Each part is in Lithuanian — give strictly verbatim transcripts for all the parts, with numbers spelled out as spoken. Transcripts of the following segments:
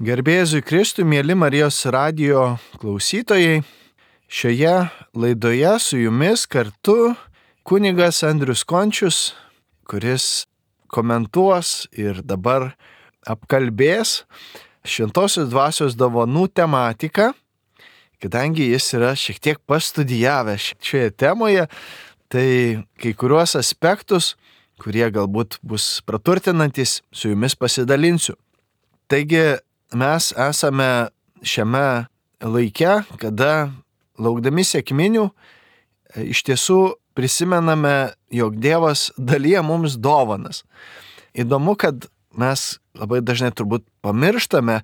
Garbėzui Kristui, mėly Marijos radijo klausytojai, šioje laidoje su jumis kartu kunigas Andrius Končius, kuris komentuos ir dabar apkalbės Šventosios dvasios dovanų tematiką, kadangi jis yra šiek tiek pastudijavęs šioje temoje, tai kai kuriuos aspektus, kurie galbūt bus praturtinantis, su jumis pasidalinsiu. Taigi, mes esame šiame laike, kada laukdami sekminių iš tiesų prisimename, jog Dievas dalyja mums dovanas. Įdomu, kad mes labai dažnai turbūt pamirštame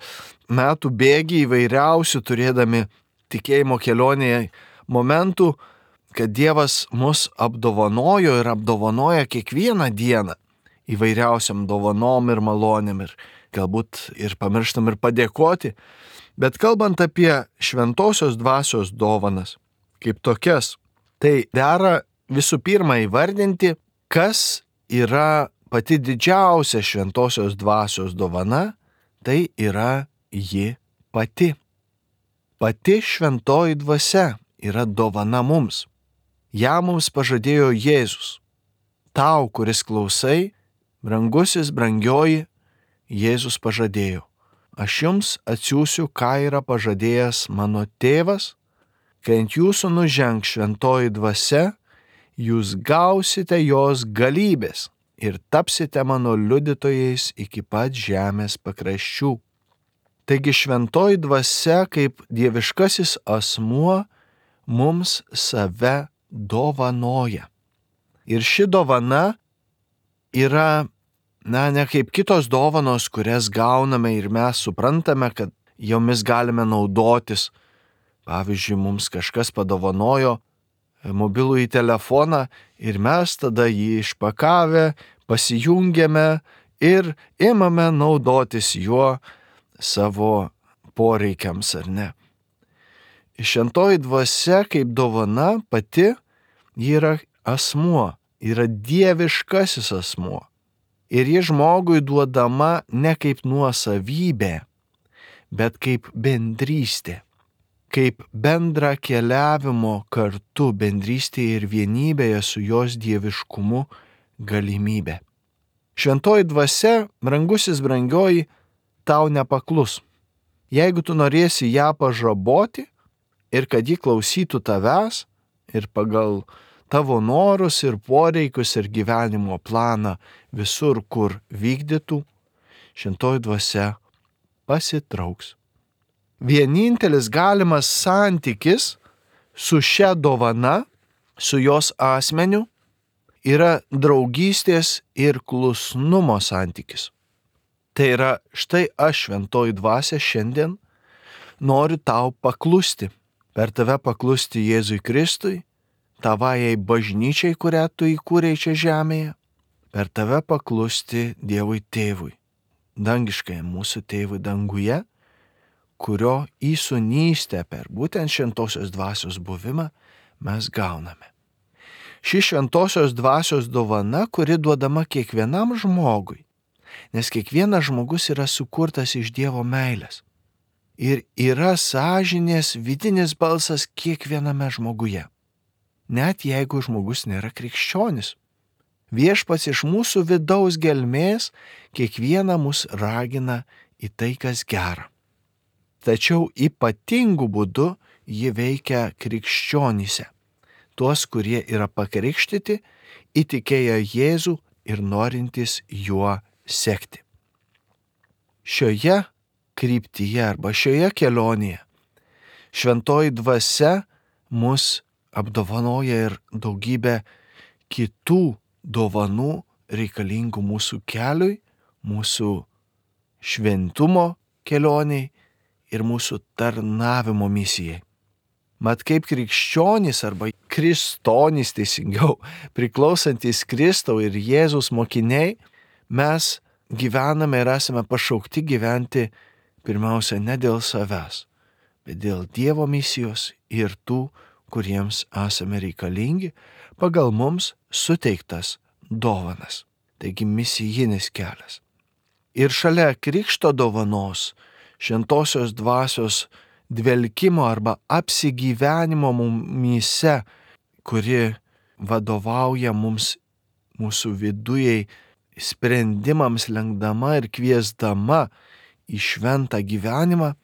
metų bėgį įvairiausių turėdami tikėjimo kelionėje momentų, kad Dievas mus apdovanojo ir apdovanoja kiekvieną dieną įvairiausiam dovanom ir malonėm ir galbūt ir pamirštam ir padėkoti, bet kalbant apie šventosios dvasios dovanas kaip tokias, tai dera visų pirma įvardinti, kas yra pati didžiausia šventosios dvasios dovana, tai yra ji pati. Pati šventoji dvasia yra dovana mums. Ja mums pažadėjo Jėzus. Tau, kuris klausai, brangusis, brangioji, Jėzus pažadėjo, aš jums atsiųsiu, ką yra pažadėjęs mano tėvas, kai ant jūsų nužengs šventoji dvasia, jūs gausite jos galybės ir tapsite mano liudytojais iki pat žemės pakraščių. Taigi šventoji dvasia kaip dieviškasis asmuo mums save dovanoja. Ir ši dovana yra Na, ne kaip kitos dovanos, kurias gauname ir mes suprantame, kad jomis galime naudotis. Pavyzdžiui, mums kažkas padovanojo mobilųjį telefoną ir mes tada jį išpakavę, pasijungiame ir imame naudotis juo savo poreikiams, ar ne. Šventoji dvasia kaip dovana pati yra asmuo, yra dieviškasis asmuo. Ir ji žmogui duodama ne kaip nuosavybė, bet kaip bendrystė, kaip bendra keliavimo kartu bendrystėje ir vienybėje su jos dieviškumu galimybė. Šventoji dvasia, brangusis, brangioji, tau nepaklus. Jeigu tu norėsi ją pažaboti ir kad ji klausytų tavęs ir pagal tavo norus ir poreikius ir gyvenimo planą visur, kur vykdytų, šventoji dvasia pasitrauks. Vienintelis galimas santykis su šia dovana, su jos asmeniu, yra draugystės ir klusnumo santykis. Tai yra, štai aš, šventoji dvasia, šiandien noriu tau paklusti, per tave paklusti Jėzui Kristui, tavajai bažnyčiai, kurią tu įkūrei čia žemėje, per tave paklusti Dievui Tėvui, dangiškai mūsų Tėvui danguje, kurio įsūnystę per būtent šventosios dvasios buvimą mes gauname. Ši šventosios dvasios dovana, kuri duodama kiekvienam žmogui, nes kiekvienas žmogus yra sukurtas iš Dievo meilės ir yra sąžinės vidinis balsas kiekviename žmoguje. Net jeigu žmogus nėra krikščionis. Viešpats iš mūsų vidaus gelmės kiekvieną mus ragina į tai, kas gera. Tačiau ypatingu būdu ji veikia krikščionyse, tuos, kurie yra pakrikštyti, įtikėję Jėzų ir norintys juo sekti. Šioje kryptyje arba šioje kelionėje šventoji dvasia mus apdovanoja ir daugybę kitų dovanų reikalingų mūsų keliui, mūsų šventumo kelioniai ir mūsų tarnavimo misijai. Mat kaip krikščionys arba kristonys teisingiau, priklausantis Kristau ir Jėzus mokiniai, mes gyvename ir esame pašaukti gyventi pirmiausia ne dėl savęs, bet dėl Dievo misijos ir tų, kuriems esame reikalingi pagal mums suteiktas dovanas. Taigi misijinis kelias. Ir šalia krikšto dovanos šventosios dvasios dvelkimo arba apsigyvenimo mumyse, kuri vadovauja mums mūsų vidujai sprendimams lenkdama ir kviesdama į šventą gyvenimą,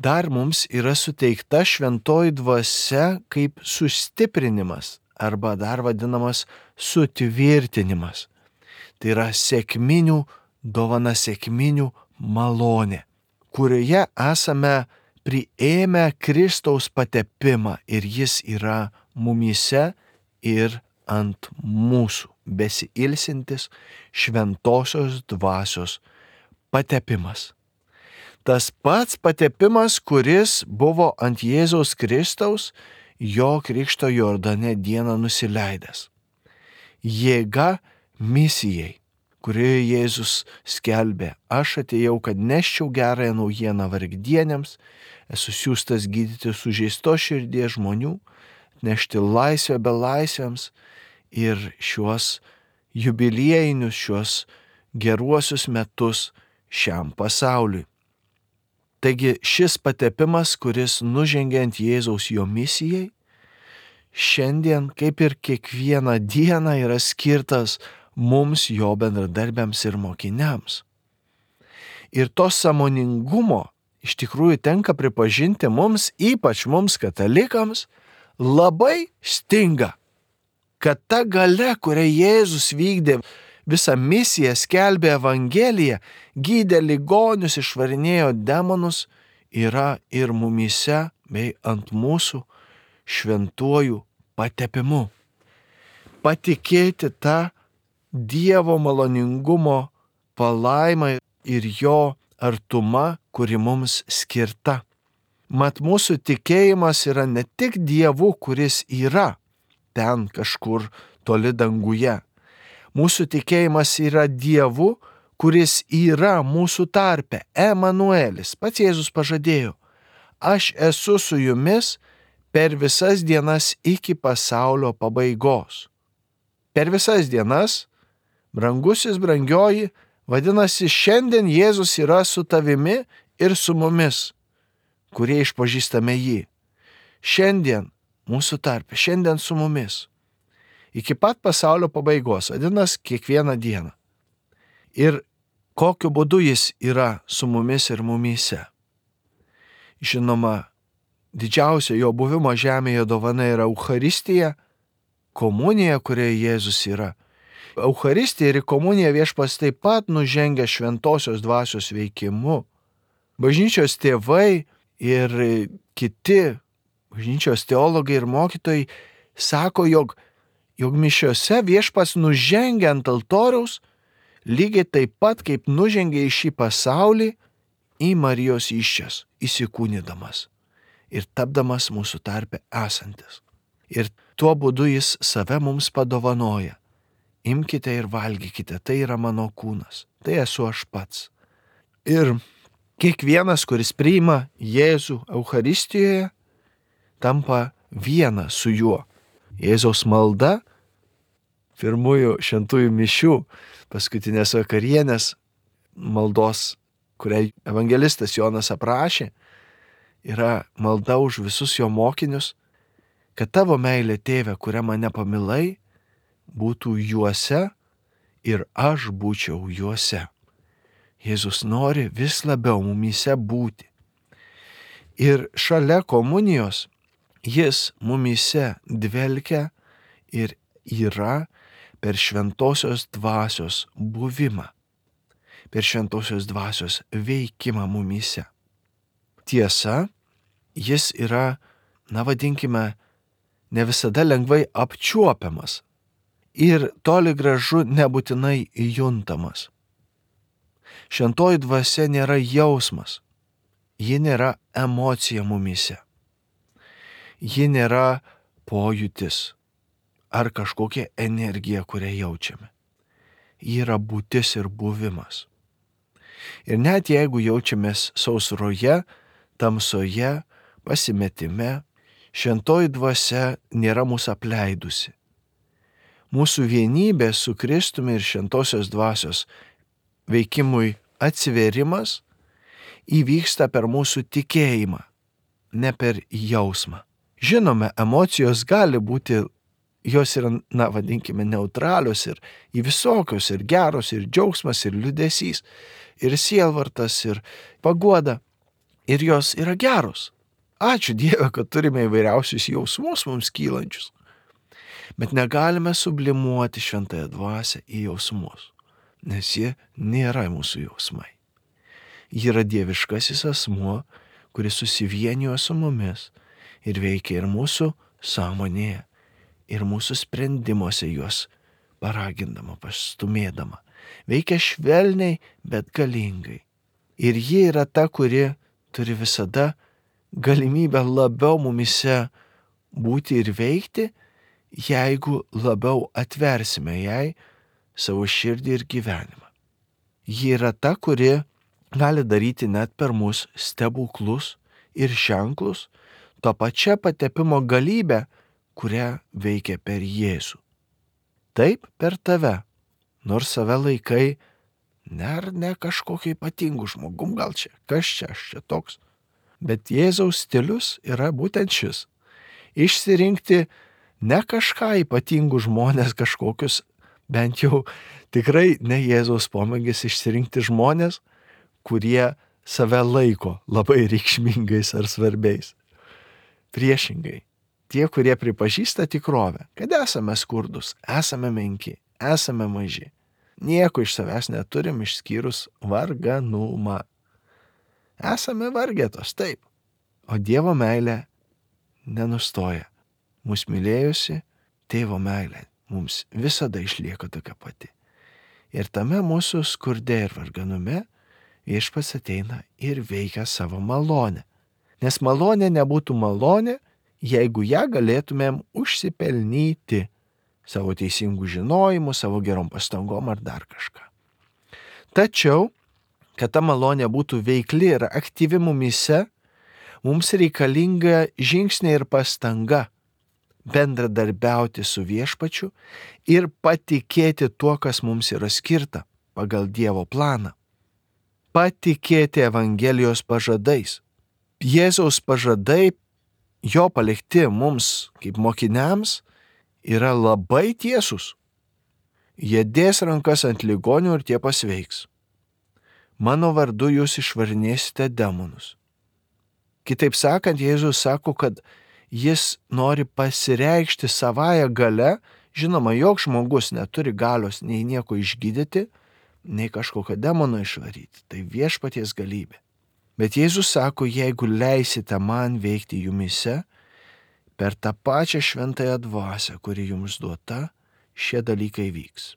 dar mums yra suteikta šventoji dvasia kaip sustiprinimas arba dar vadinamas sutvirtinimas. Tai yra sekminių dovana, sekminių malonė, kurioje esame priėmę Kristaus patepimą ir jis yra mumyse ir ant mūsų besiilsintis šventosios dvasios patepimas. Tas pats patepimas, kuris buvo ant Jėzaus Kristaus jo krikšto Jordane dieną nusileidęs. Jėga misijai, kurioje Jėzus skelbė: aš atėjau, kad neščiau gerąją naujieną vargdieniams, esu siųstas gydyti sužeistos širdies žmonių, nešti laisvę belaisviams ir šiuos jubiliejinius, šiuos geruosius metus šiam pasauliui. Taigi šis patepimas, kuris nužengė ant Jėzaus jo misijai, šiandien, kaip ir kiekvieną dieną, yra skirtas mums, jo bendradarbiams ir mokiniams. Ir to sąmoningumo iš tikrųjų tenka pripažinti mums, ypač mums katalikams, labai stinga. Kad ta galia, kurią Jėzus vykdė, visą misiją, skelbė Evangeliją, gydė ligonius, išvarinėjo demonus, yra ir mumyse bei ant mūsų šventuoju patepimu. Patikėti tą Dievo maloningumo palaimą ir jo artuma, kuri mums skirta. Mat mūsų tikėjimas yra ne tik Dievu, kuris yra ten kažkur toli danguje. Mūsų tikėjimas yra Dievu, kuris yra mūsų tarpe, Emanuelis. Pats Jėzus pažadėjo: aš esu su jumis per visas dienas iki pasaulio pabaigos. Per visas dienas, brangusis, brangioji, vadinasi, šiandien Jėzus yra su tavimi ir su mumis, kurie išpažįstame jį. Šiandien mūsų tarpe, šiandien su mumis. Iki pat pasaulio pabaigos, vadinasi, kiekvieną dieną. Ir kokiu būdu jis yra su mumis ir mumyse. Žinoma, didžiausia jo buvimo žemėje dovana yra Eucharistija, komunija, kurioje Jėzus yra. Eucharistija ir komunija Viešpats taip pat nužengia šventosios dvasios veikimu. Bažnyčios tėvai ir kiti bažnyčios teologai ir mokytojai sako, jog, jog mišiose Viešpats nužengia ant altoriaus lygiai taip pat, kaip nužengia į šį pasaulį į Marijos įsčias, įsikūnydamas ir tapdamas mūsų tarpe esantis. Ir tuo būdu jis save mums padovanoja. Imkite ir valgykite, tai yra mano kūnas, tai esu aš pats. Ir kiekvienas, kuris priima Jėzų Eucharistijoje, tampa viena su juo. Jėzaus malda, pirmųjų šventųjų mišių, paskutinės vakarienės maldos, kurią evangelistas Jonas aprašė, yra malda už visus jo mokinius, kad tavo meilė, Tėve, kurią mane pamilai, būtų juose ir aš būčiau juose. Jėzus nori vis labiau mumyse būti. Ir šalia komunijos jis mumyse dvelkia ir yra per šventosios dvasios buvimą, per šventosios dvasios veikimą mumyse. Tiesa, jis yra, na vadinkime, ne visada lengvai apčiuopiamas ir toli gražu nebūtinai juntamas. Šventoji dvasia nėra jausmas, ji nėra emocija mumyse, ji nėra pojūtis ar kažkokia energija, kurią jaučiame. Ji yra būtis ir buvimas. Ir net jeigu jaučiamės sausroje, tamsoje, pasimetime, šventoji dvasia nėra mūsų apleidusi. Mūsų vienybė su Kristumi ir šventosios dvasios veikimui atsiverimas įvyksta per mūsų tikėjimą, ne per jausmą. Žinome, emocijos gali būti, jos yra, na, vadinkime, neutralios ir į visokios, ir geros, ir džiaugsmas, ir liūdesys, ir sielvartas, ir paguoda, ir jos yra geros. Ačiū Dieve, kad turime įvairiausius jausmus mums kylančius. Bet negalime sublimuoti šventąją dvasią į jausmus, nes jie nėra mūsų jausmai. Ji yra dieviškasis asmuo, kuris susivienijo su mumis ir veikia ir mūsų sąmonėje, ir mūsų sprendimuose juos paragindama, pastumėdama. Veikia švelniai, bet galingai. Ir ji yra ta, kuri turi visada galimybę labiau mumise būti ir veikti, jeigu labiau atversime jai savo širdį ir gyvenimą. Ji yra ta, kuri gali daryti net per mus stebuklus ir ženklus, to pačia patepimo galybę, kurią veikia per Jėzų. Taip per tave, nors save laikai, ne ar ne kažkokiu ypatingu žmogum, gal čia, kas čia, aš čia toks. Bet Jėzaus stilius yra būtent šis. Išsirinkti ne kažką ypatingų žmonės kažkokius, bent jau tikrai ne Jėzaus pomėgis išsirinkti žmonės, kurie save laiko labai reikšmingais ar svarbiais. Priešingai, tie, kurie pripažįsta tikrovę, kad esame skurdus, esame menki, esame maži, nieko iš savęs neturim išskyrus varganumą. Esame vargetos, taip, o Dievo meilė nenustoja. Mūsų mylėjusi tėvo meilė mums visada išlieka tokia pati. Ir tame mūsų skurde ir varganume Viešpats ateina ir veikia savo malonę. Nes malonė nebūtų malonė, jeigu ją galėtumėm užsipelnyti savo teisingų žinojimų, savo gerom pastangom ar dar kažką. Tačiau, kad ta malonė būtų veikli ir aktyvi mumyse, mums reikalinga žingsnė ir pastanga bendradarbiauti su Viešpačiu ir patikėti tuo, kas mums yra skirta pagal Dievo planą. Patikėti Evangelijos pažadais. Jėzaus pažadai, jo palikti mums kaip mokiniams, yra labai tiesūs. Jie dės rankas ant ligonių ir tie pasveiks. Mano vardu jūs išvarinėsite demonus. Kitaip sakant, Jėzus sako, kad jis nori pasireikšti savąją gale. Žinoma, joks žmogus neturi galios nei nieko išgydyti, nei kažkokio demono išvaryti. Tai Viešpaties galybė. Bet Jėzus sako, jeigu leisite man veikti jumyse, per tą pačią šventąją dvasią, kuri jums duota, šie dalykai vyks.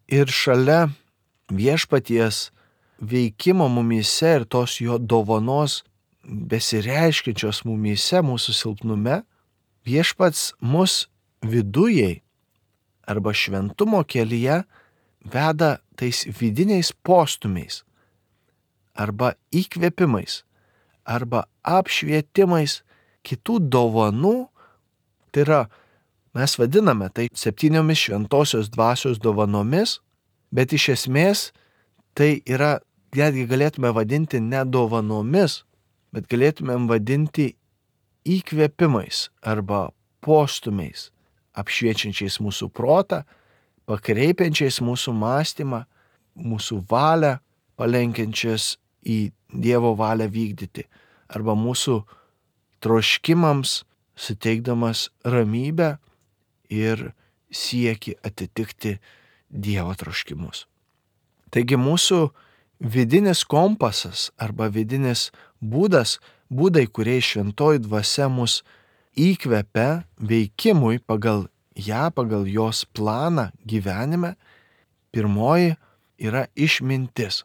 Ir šalia Viešpaties veikimo mumyse ir tos jo dovanos besireiškiančios mumyse, mūsų silpnume, Viešpats mus vidujai arba šventumo kelyje veda tais vidiniais postumiais arba įkvėpimais arba apšvietimais kitų dovanų. Tai yra, mes vadiname tai septyniomis šventosios dvasios dovanomis, bet iš esmės tai yra, netgi galėtume vadinti ne dovanomis, bet galėtumėm vadinti įkvėpimais arba postumiais, apšviečiančiais mūsų protą, pakreipiančiais mūsų mąstymą, mūsų valią, palenkiančias į Dievo valią vykdyti, arba mūsų troškimams suteikdamas ramybę ir siekį atitikti Dievo troškimus. Taigi mūsų vidinis kompasas arba vidinis būdas, būdai, kurie šventoji dvasia mus įkvepia veikimui pagal ją, pagal jos planą gyvenime, pirmoji yra išmintis.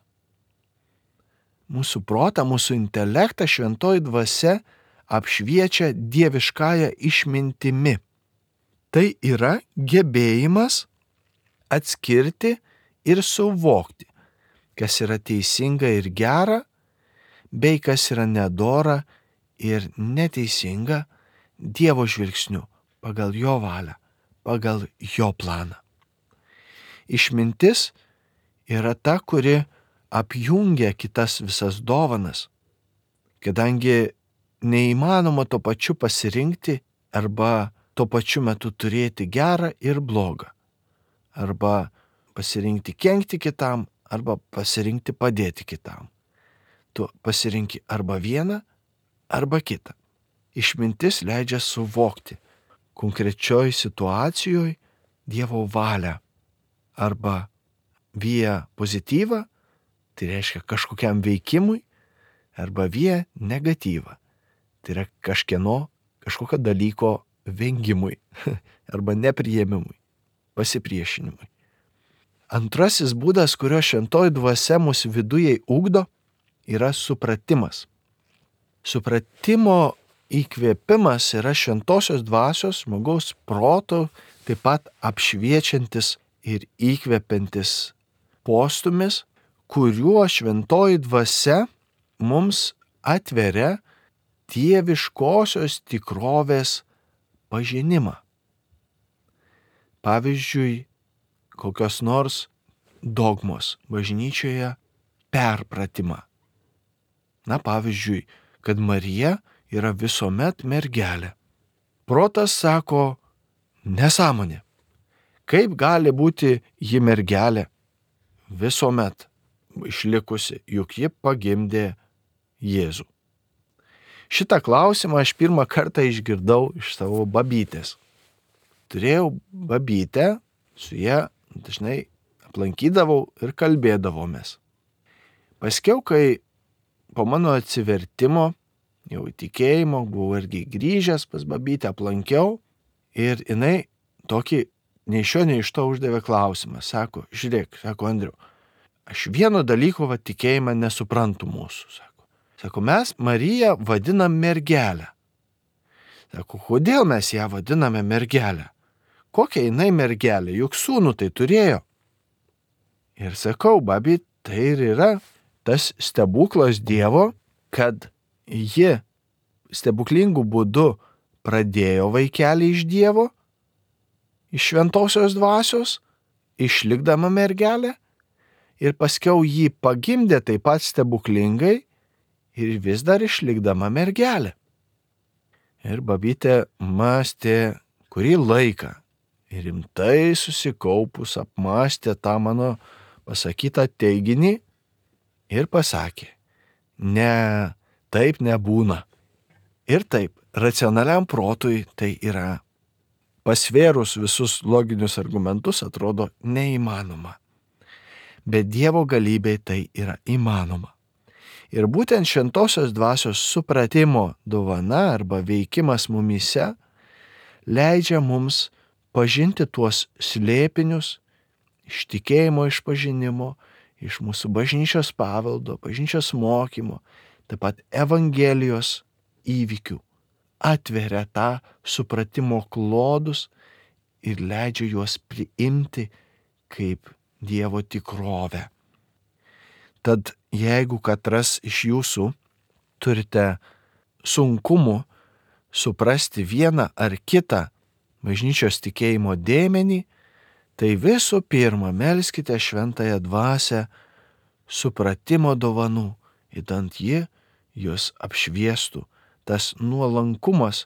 Mūsų protą, mūsų intelektą šventoji dvasia apšviečia dieviškąją išmintimi. Tai yra gebėjimas atskirti ir suvokti, kas yra teisinga ir gera, bei kas yra nedora ir neteisinga Dievo žvilgsniu, pagal jo valią, pagal jo planą. Išmintis yra ta, kuri apjungia kitas visas dovanas, kadangi neįmanoma tuo pačiu pasirinkti arba tuo pačiu metu turėti gerą ir blogą, arba pasirinkti kenkti kitam, arba pasirinkti padėti kitam. Tu pasirinki arba vieną, arba kitą. Išmintis leidžia suvokti konkrečioj situacijoje Dievo valią arba via pozityvą, tai reiškia kažkokiam veikimui, arba via negatyvą, tai yra kažkieno, kažkokio dalyko vengimui arba nepriėmimui, pasipriešinimui. Antrasis būdas, kurio šventoji dvasia mūsų viduje ugdo, yra supratimas. Supratimo įkvėpimas yra šventosios dvasios žmogaus proto taip pat apšviečiantis ir įkvepiantis postumis, kuriuo šventoji dvasia mums atveria dieviškosios tikrovės pažinimą. Pavyzdžiui, kokios nors dogmos bažnyčioje perpratimą. Na, pavyzdžiui, kad Marija yra visuomet mergelė. Protas sako, nesąmonė. Kaip gali būti ji mergelė visuomet išlikusi, juk ji pagimdė Jėzų? Šitą klausimą aš pirmą kartą išgirdau iš savo babytės. Turėjau babytę, su ja dažnai aplankydavau ir kalbėdavomės. Paskiau, kai po mano atsivertimo, jau įtikėjimo, buvau irgi grįžęs pas babytę, aplankiau ir jinai tokį nei iš šio, nei iš to uždavė klausimą. Sako, žiūrėk, sako Andriau, aš vieno dalyko va tikėjimą nesuprantu mūsų. Sako, sako mes Mariją vadinam mergelę. Sako, kodėl mes ją vadiname mergelę? Kokia jinai mergelė, juk sūnų tai turėjo. Ir sakau, babi, tai ir yra tas stebuklas Dievo, kad ji stebuklingų būdų pradėjo vaikelį iš Dievo, iš šventosios dvasios, išlikdama mergelė, ir paskiau jį pagimdė taip pat stebuklingai ir vis dar išlikdama mergelė. Ir babytė mąstė kurį laiką ir rimtai susikaupus apmąstė tą mano pasakytą teiginį ir pasakė, ne, taip nebūna. Ir taip, racionaliam protui tai yra, pasvėrus visus loginius argumentus, atrodo neįmanoma. Bet Dievo galybei tai yra įmanoma. Ir būtent šventosios dvasios supratimo dovana arba veikimas mumyse leidžia mums pažinti tuos slėpinius iš tikėjimo išpažinimo, iš mūsų bažnyčios paveldo, bažnyčios mokymo, taip pat Evangelijos įvykių, atveria tą supratimo klodus ir leidžia juos priimti kaip Dievo tikrovę. Tad jeigu katras iš jūsų turite sunkumų suprasti vieną ar kitą bažnyčios tikėjimo dėmenį, tai visų pirma melskite šventąją dvasią supratimo dovanų, idant ji jūs apšviestų, tas nuolankumas,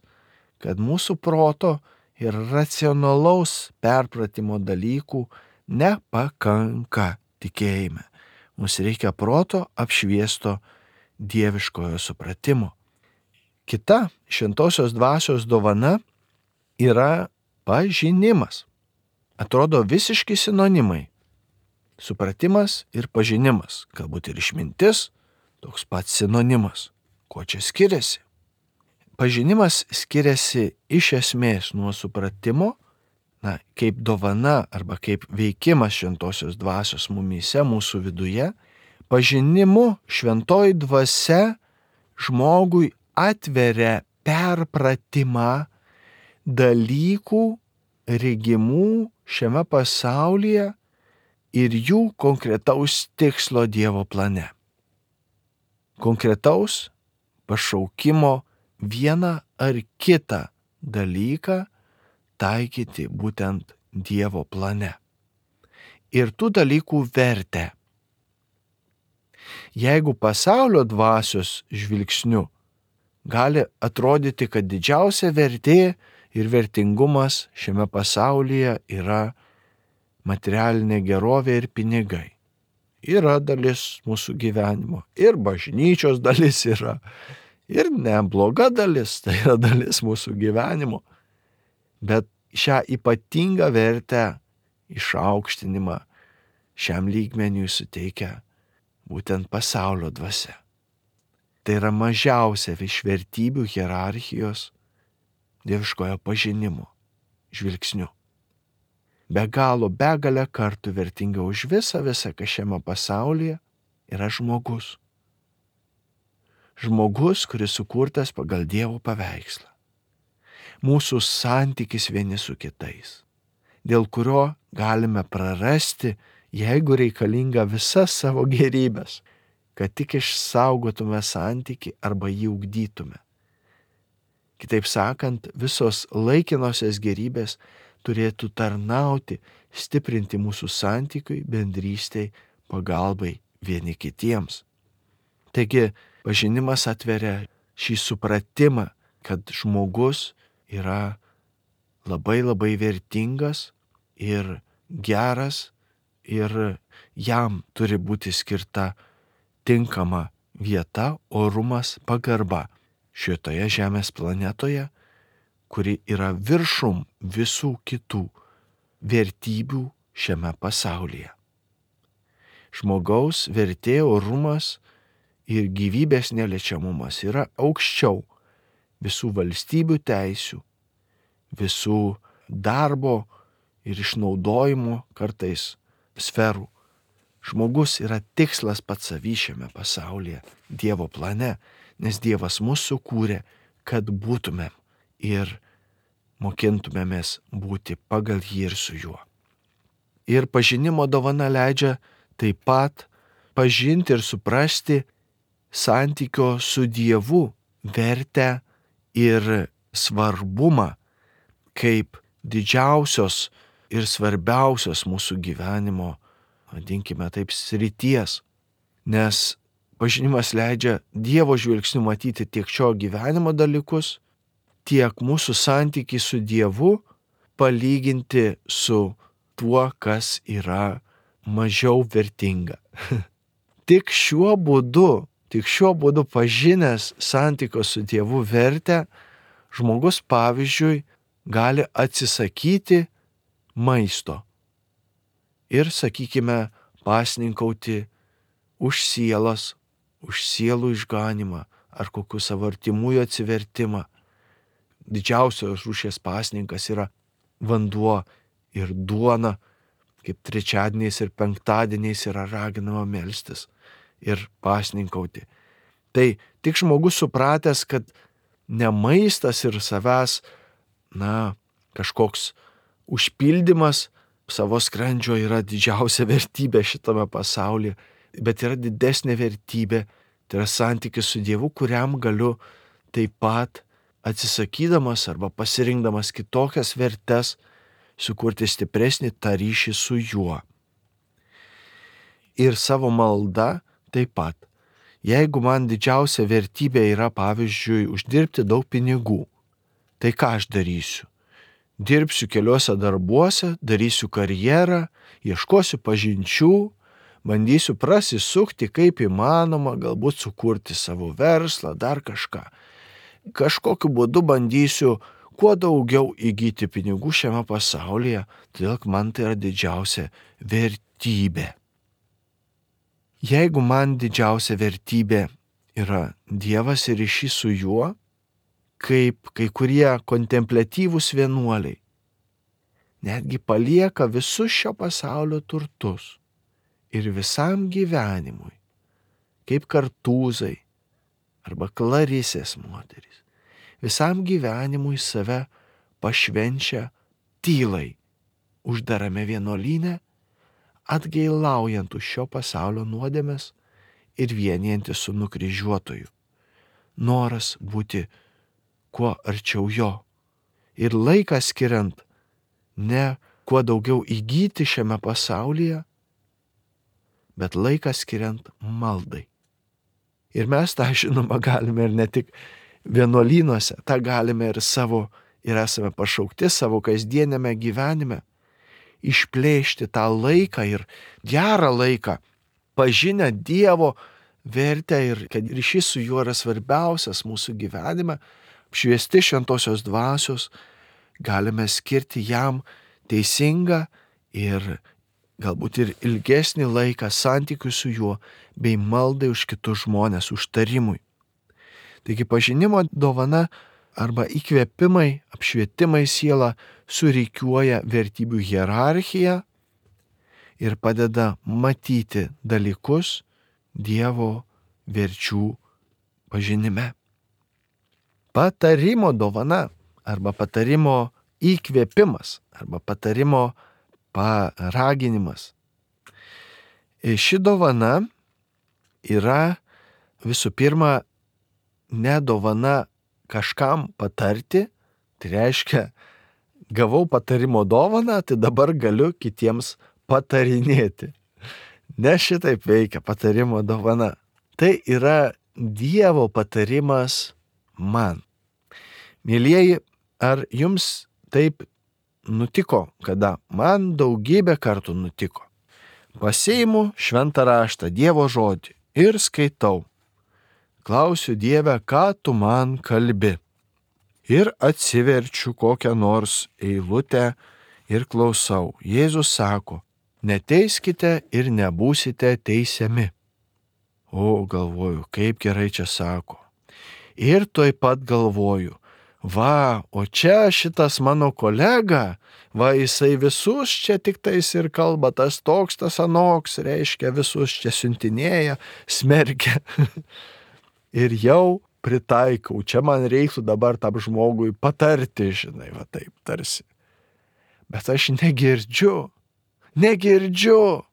kad mūsų proto ir racionalaus perpratimo dalykų nepakanka tikėjime. Mums reikia proto apšviesto dieviškojo supratimo. Kita šventosios dvasios dovana yra pažinimas. Atrodo visiški sinonimai. Supratimas ir pažinimas, galbūt ir išmintis, toks pats sinonimas. Kuo čia skiriasi? Pažinimas skiriasi iš esmės nuo supratimo, na, kaip dovana arba kaip veikimas šventosios dvasios mumyse, mūsų viduje. Pažinimu šventoji dvasia žmogui atveria perpratimą dalykų regimų šiame pasaulyje ir jų konkretaus tikslo Dievo plane. Konkretaus pašaukimo vieną ar kitą dalyką taikyti būtent Dievo plane. Ir tų dalykų vertę. Jeigu pasaulio dvasios žvilgsniu gali atrodyti, kad didžiausia vertė ir vertingumas šiame pasaulyje yra materialinė gerovė ir pinigai. Yra dalis mūsų gyvenimo, ir bažnyčios dalis yra, ir nebloga dalis, tai yra dalis mūsų gyvenimo. Bet šią ypatingą vertę, išaukštinimą šiam lygmeniui suteikia būtent pasaulio dvasia. Tai yra mažiausia iš vertybių hierarchijos dieviškojo pažinimo žvilgsniu. Be galo begalę kartų vertinga už visą visą, kas šiame pasaulyje yra žmogus. Žmogus, kuris sukurtas pagal Dievo paveikslą. Mūsų santykis vieni su kitais, dėl kurio galime prarasti, jeigu reikalinga visas savo gerybės, kad tik išsaugotume santykį arba jį ugdytume. Kitaip sakant, visos laikinosios gerybės turėtų tarnauti, stiprinti mūsų santykiui, bendrystei, pagalbai vieni kitiems. Taigi, pažinimas atveria šį supratimą, kad žmogus yra labai labai vertingas ir geras ir jam turi būti skirta tinkama vieta, orumas, pagarba šitoje žemės planetoje, kuri yra viršum visų kitų vertybių šiame pasaulyje. Žmogaus vertė, orumas ir gyvybės neliečiamumas yra aukščiau visų valstybių teisių, visų darbo ir išnaudojimo kartais sferų. Žmogus yra tikslas pats savy šiame pasaulyje, Dievo plane, nes Dievas mus sukūrė, kad būtumėm ir mokintumėmės būti pagal jį ir su juo. Ir pažinimo dovana leidžia taip pat pažinti ir suprasti santykio su Dievu vertę ir svarbumą kaip didžiausios ir svarbiausios mūsų gyvenimo, vadinkime taip, srities, nes pažinimas leidžia Dievo žvilgsniu matyti tiek šio gyvenimo dalykus, tiek mūsų santykį su Dievu palyginti su tuo, kas yra mažiau vertinga. Tik šiuo būdu, tik šiuo būdu pažinęs santykio su Dievu vertę, žmogus pavyzdžiui gali atsisakyti maisto ir, sakykime, pasninkauti už sielas, už sielų išganimą ar kokių savo artimųjų atsivertimą. Didžiausios rūšies pasninkas yra vanduo ir duona, kaip trečiadieniais ir penktadieniais yra raginama melstis ir pasninkauti. Tai tik žmogus supratęs, kad ne maistas ir savęs, na, kažkoks užpildymas savo skrandžio yra didžiausia vertybė šitame pasaulyje, bet yra didesnė vertybė, tai yra santykis su Dievu, kuriam galiu taip pat atsisakydamas arba pasirinkdamas kitokias vertes sukurti stipresnį tą ryšį su juo. Ir savo malda taip pat. Jeigu man didžiausia vertybė yra, pavyzdžiui, uždirbti daug pinigų, tai ką aš darysiu? Dirbsiu keliuose darbuose, darysiu karjerą, ieškosiu pažinčių, bandysiu prasisukti kaip įmanoma, galbūt sukurti savo verslą, dar kažką. Kažkokiu būdu bandysiu kuo daugiau įgyti pinigų šiame pasaulyje, todėl man tai yra didžiausia vertybė. Jeigu man didžiausia vertybė yra Dievas ir ryšys su juo, kaip kai kurie kontempliatyvūs vienuoliai, netgi palieka visus šio pasaulio turtus ir visam gyvenimui, kaip Kartūzai arba Klarisės moterys, visam gyvenimui save pašvenčia tylai, uždarame vienuolyne, atgailaujant už šio pasaulio nuodėmes ir vienijantis su nukryžiuotoju. Noras būti kuo arčiau jo ir laiką skiriant ne kuo daugiau įgyti šiame pasaulyje, bet laiką skiriant maldai. Ir mes tą žinoma galime ir ne tik vienuolynuose, tą galime ir savo, ir esame pašaukti savo kasdienėme gyvenime. Išplėšti tą laiką ir gerą laiką, pažinę Dievo vertę ir kad ryšys su juo yra svarbiausias mūsų gyvenime, apšviesti šventosios dvasios, galime skirti jam teisingą ir galbūt ir ilgesnį laiką santykių su juo, bei maldai už kitus žmonės, užtarimui. Taigi pažinimo dovana arba įkvėpimai, apšvietimai sielą surikiuoja vertybių hierarchiją ir padeda matyti dalykus Dievo verčių pažinime. Patarimo dovana arba patarimo įkvėpimas arba patarimo paraginimas. Ši dovana yra visų pirma ne dovana kažkam patarti, tai reiškia, gavau patarimo dovaną, tai dabar galiu kitiems patarinėti. Ne šitaip veikia patarimo dovana. Tai yra Dievo patarimas man. Mielieji, ar jums taip nutiko, kada man daugybę kartų nutiko? Pasiimu šventą raštą, Dievo žodį ir skaitau. Klausiu Dieve, ką tu man kalbi. Ir atsiverčiu kokią nors eilutę ir klausau. Jėzus sako, neteiskite ir nebūsite teisiami. O, galvoju, kaip gerai čia sako. Ir tuoj pat galvoju, va, o čia šitas mano kolega, va, jisai visus čia tik tais ir kalba, tas toks, tas anoks, reiškia, visus čia siuntinėja, smerkia. Ir jau pritaikau, čia man reiktų dabar tam žmogui patarti, žinai, va taip tarsi. Bet aš negirdžiu, negirdžiu,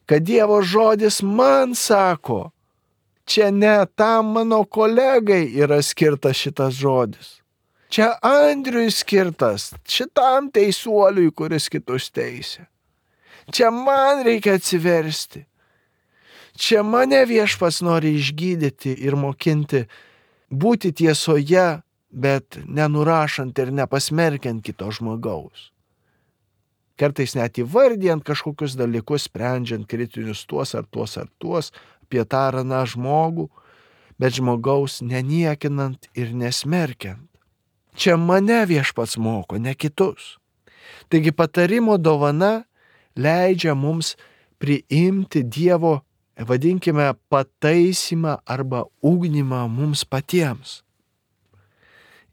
kad Dievo žodis man sako, čia ne tam mano kolegai yra skirtas šitas žodis. Čia Andriui skirtas, šitam teisuoliui, kuris kitus teisia. Čia man reikia atsiversti. Čia mane Viešpats nori išgydyti ir mokinti būti tiesoje, bet nenurašant ir nepasmerkiant kito žmogaus. Kartais net įvardijant kažkokius dalykus, sprendžiant kritinius tuos ar tuos ar tuos, apie tą ar aną žmogų, bet žmogaus neniekinant ir nesmerkiant. Čia mane Viešpats moko, ne kitus. Taigi patarimo dovana leidžia mums priimti Dievo, vadinkime, pataisimą arba ugdymą mums patiems.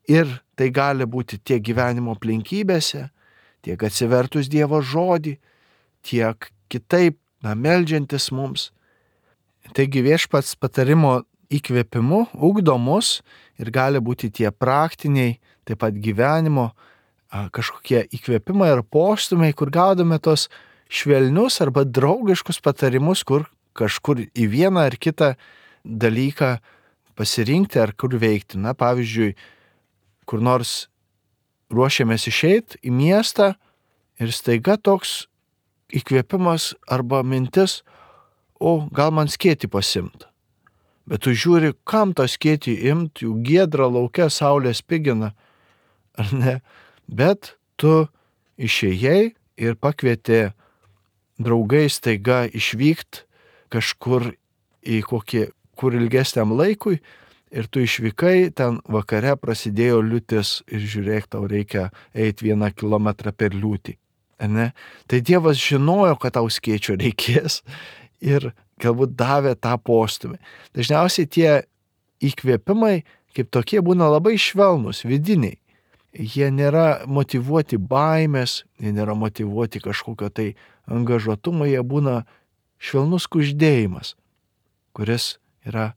Ir tai gali būti tiek gyvenimo aplinkybėse, tiek atsivertus Dievo žodį, tiek kitaip, na, meldžiantis mums. Taigi Viešpats patarimo įkvėpimu ugdo mus ir gali būti tie praktiniai, taip pat gyvenimo kažkokie įkvėpimai ar postumiai, kur gaudome tos švelnius arba draugiškus patarimus, kur kažkur į vieną ar kitą dalyką pasirinkti ar kur veikti. Na, pavyzdžiui, kur nors ruošiamės išeiti į miestą ir staiga toks įkvėpimas arba mintis, o gal man skėtį pasimt. Bet tu žiūri, kam tą skėtį imt, jų giedra lauke, saulė spigina, ar ne? Bet tu išėjai ir pakvietė draugai staiga išvykti kažkur į kokį, kur ilgesniam laikui, ir tu išvykai, ten vakare prasidėjo liūtis ir žiūrėk, tau reikia eiti vieną kilometrą per liūtį. Ne? Tai Dievas žinojo, kad tau skėčio reikės ir galbūt davė tą postumį. Dažniausiai tie įkvėpimai kaip tokie būna labai švelnus, vidiniai. Jie nėra motyvuoti baimės, jie nėra motyvuoti kažkokio tai angažuotumo, jie būna švelnus kuždėjimas, kuris yra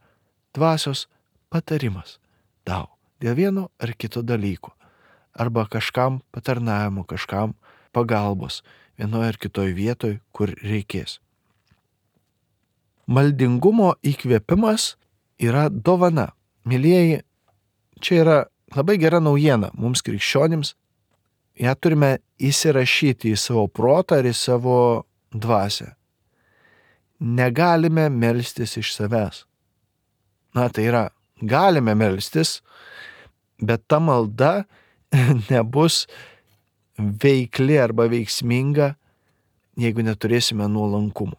dvasios patarimas tau dėl vieno ar kito dalyko, arba kažkam patarnavimo, kažkam pagalbos vienoje ar kitoje vietoje, kur reikės. Maldingumo įkvėpimas yra dovana. Mylieji, čia yra labai gera naujiena mums krikščionims. Ja turime įsirašyti į savo protą ir į savo dvasią. negalime melstis iš savęs. Na, tai yra, galime melstis, bet ta malda nebus veikli arba veiksminga, jeigu neturėsime nuolankumo.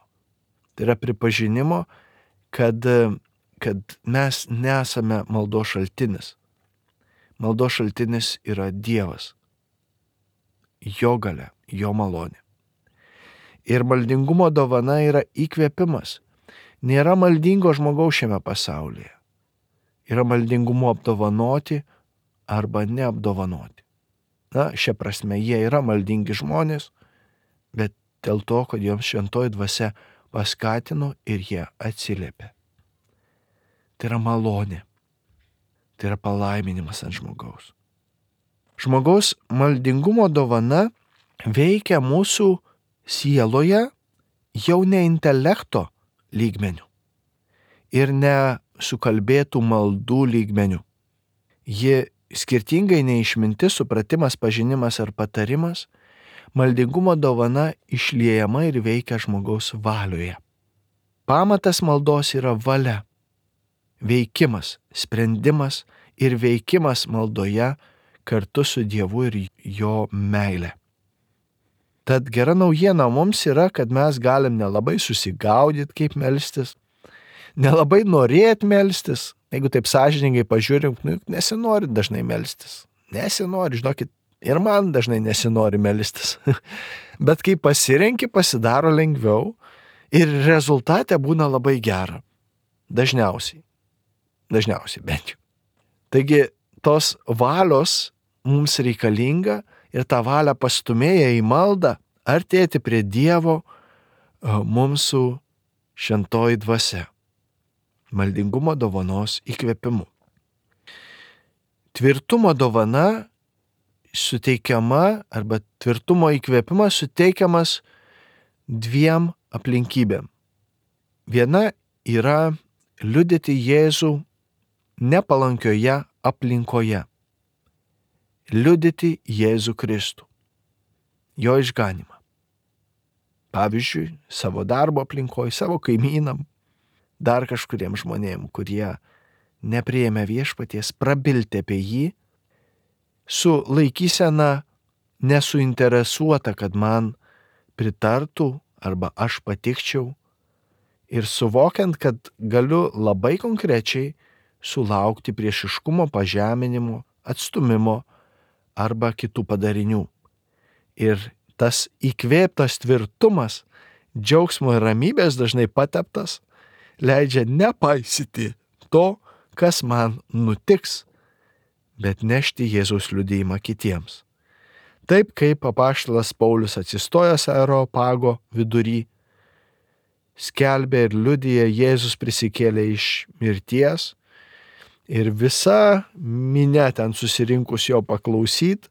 Tai yra pripažinimo, kad, kad mes nesame maldos šaltinis. Maldos šaltinis yra Dievas, jo galia, jo malonė. Ir maldingumo dovana yra įkvėpimas. Nėra maldingo žmogaus šiame pasaulyje. Yra maldingumo apdovanoti arba neapdovanoti. Na, šia prasme, jie yra maldingi žmonės, bet dėl to, kad joms šventoji dvasia paskatino ir jie atsiliepė. Tai yra malonė. Tai yra palaiminimas ant žmogaus. Žmogaus maldingumo dovana veikia mūsų sieloje jau ne intelekto lygmeniu ir ne sukalbėtų maldų lygmeniu. Ji skirtingai nei išmintis, supratimas, pažinimas ar patarimas, maldingumo dovana išliejama ir veikia žmogaus valioje. Pamatas maldos yra valia, veikimas, sprendimas ir veikimas maldoje kartu su Dievu ir jo meile. Tad gera naujiena mums yra, kad mes galim nelabai susigaudyti, kaip melstis, nelabai norėti melstis. Jeigu taip sąžiningai pažiūrim, nu, nesinori dažnai melstis. Nesinori, žinokit, ir man dažnai nesinori melstis. Bet kai pasirenki, pasidaro lengviau ir rezultate būna labai gera. Dažniausiai. Dažniausiai bent jau. Taigi tos valios mums reikalinga ir tą valią pastumėję į maldą, artėti prie Dievo mums su šventoji dvasia. Maldingumo dovanos įkvėpimu. Tvirtumo dovana suteikiama arba tvirtumo įkvėpimas suteikiamas dviem aplinkybėm. Viena yra liudyti Jėzų nepalankioje aplinkoje. Liudyti Jėzų Kristų, jo išganimą. Pavyzdžiui, savo darbo aplinkoje, savo kaimynam, dar kažkuriem žmonėm, kurie nepriėmė viešpaties, prabilti apie jį, su laikysena nesuinteresuota, kad man pritartų arba aš patikčiau, ir suvokiant, kad galiu labai konkrečiai sulaukti priešiškumo, pažeminimo, atstūmimo arba kitų padarinių. Ir tas įkvėptas tvirtumas, džiaugsmo ir ramybės dažnai pateptas, leidžia nepaisyti to, kas man nutiks, bet nešti Jėzaus liudijimą kitiems. Taip kaip apaštalas Paulius atsistojęs Areopago vidury, skelbė ir liudija Jėzus prisikėlė iš mirties, ir visa minia ten susirinkus jo paklausyt,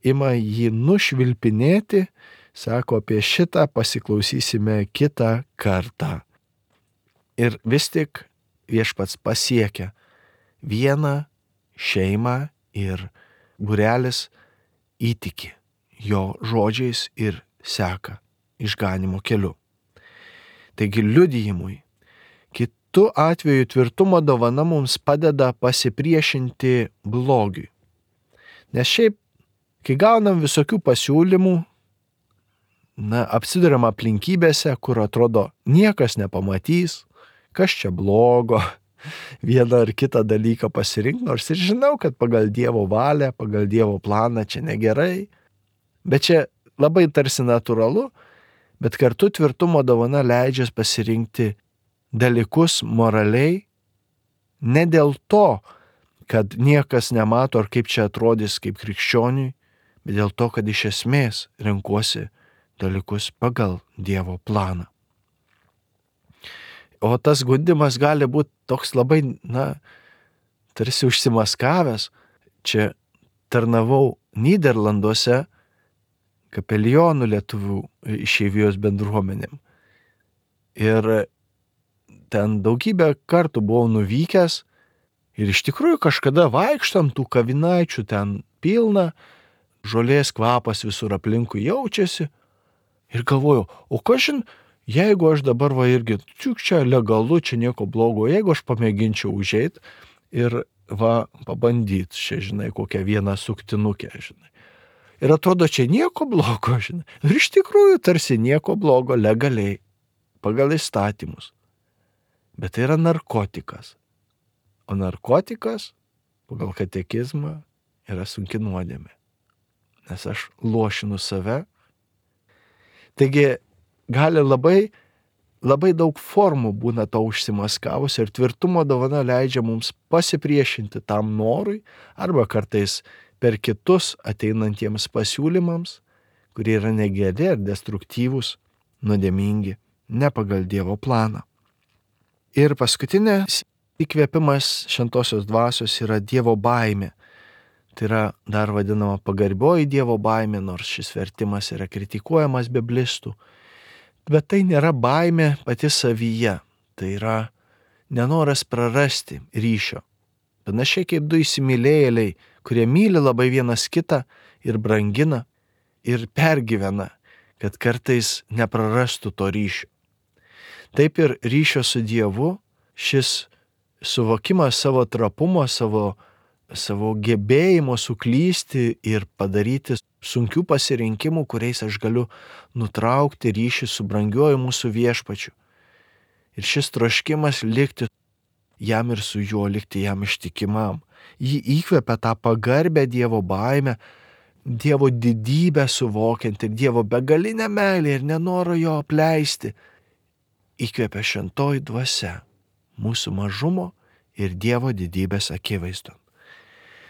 ima jį nušvilpinėti, sako, apie šitą pasiklausysime kitą kartą. Ir vis tik viešpats pasiekia vieną šeimą ir būrelis įtiki jo žodžiais ir seka išganimo keliu. Taigi liudijimui, kitu atveju tvirtumo dovana mums padeda pasipriešinti blogiui. Nes šiaip, kai gaunam visokių pasiūlymų, na, apsiduriam aplinkybėse, kur atrodo niekas nepamatys, kas čia blogo, vieną ar kitą dalyką pasirinkti, nors ir žinau, kad pagal Dievo valią, pagal Dievo planą čia negerai, bet čia labai tarsi natūralu, bet kartu tvirtumo dovana leidžia pasirinkti dalykus moraliai, ne dėl to, kad niekas nemato ar kaip čia atrodys kaip krikščioniui, bet dėl to, kad iš esmės renkuosi dalykus pagal Dievo planą. O tas gundimas gali būti toks labai, na, tarsi užsimaskavęs. Čia tarnavau Nyderlanduose kapelionų lietuvių išeivijos bendruomenėm. Ir ten daugybę kartų buvau nuvykęs ir iš tikrųjų kažkada vaikštam tų kavinaičių ten pilna, žolės kvapas visur aplinkui jaučiasi. Ir galvoju, o kažin, jeigu aš dabar va irgi, čiuk čia legalu, čia nieko blogo, jeigu aš pamėginčiau užeit ir va pabandyti, čia žinai, kokią vieną suktinukę, žinai. Ir atrodo, čia nieko blogo, žinai. Ir iš tikrųjų tarsi nieko blogo legaliai, pagal įstatymus. Bet tai yra narkotikas. O narkotikas, pagal katekizmą, yra sunki nuodėmė. Nes aš lošinu save. Taigi gali labai, labai daug formų būna to užsimaskavus ir tvirtumo dovana leidžia mums pasipriešinti tam norui arba kartais per kitus ateinantiems pasiūlymams, kurie yra negeri ir destruktyvūs, nuodėmingi, ne pagal Dievo planą. Ir paskutinės įkvėpimas šventosios dvasios yra Dievo baimė. Tai yra dar vadinama pagarbioji Dievo baimė, nors šis vertimas yra kritikuojamas biblistų. Bet tai nėra baimė pati savyje, tai yra nenoras prarasti ryšio. Panašiai kaip du įsimylėjėliai, kurie myli labai vienas kitą ir brangina ir pergyvena, kad kartais neprarastų to ryšio. Taip ir ryšio su Dievu, šis suvokimas savo trapumo, savo, savo gebėjimo suklysti ir padaryti sunkių pasirinkimų, kuriais aš galiu nutraukti ryšį su brangiuoju mūsų viešpačiu. Ir šis troškimas likti jam ir su juo, likti jam ištikimam. Jį įkvepia tą pagarbę Dievo baimę, Dievo didybę suvokiant ir Dievo begalinę meilę ir nenoro jo apleisti. Įkvepia šventoji dvasia mūsų mažumo ir Dievo didybės akivaizdon.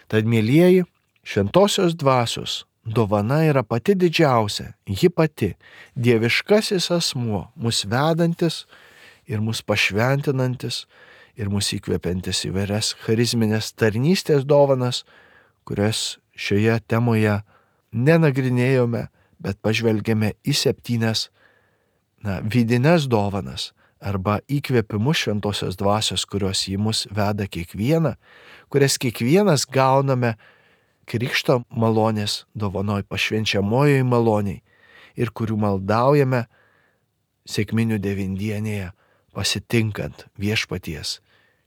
Tad, mielieji, šventosios dvasios dovana yra pati didžiausia, ji pati, dieviškasis asmuo, mus vedantis ir mus pašventinantis ir mus įkvepiantis įvairias charizminės tarnystės dovanas, kurias šioje temoje nenagrinėjome, bet pažvelgėme į septynes na, vidines dovanas arba įkvėpimus šventosios dvasios, kurios į mus veda kiekvieną, kurias kiekvienas gauname krikšto malonės dovanoj, pašvenčiamojoj maloniai ir kurių maldaujame sekminių devindienėje, pasitinkant viešpaties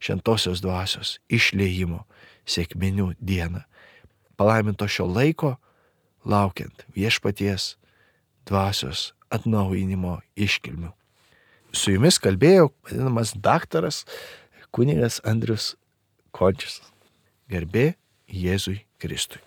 šventosios dvasios išliejimo sekminių dieną. Palaiminto šio laiko, laukiant viešpaties dvasios atnaujinimo iškilmių. Su jumis kalbėjo vadinamas daktaras kunigas Andrius Končius. Garbė Jėzui Kristui.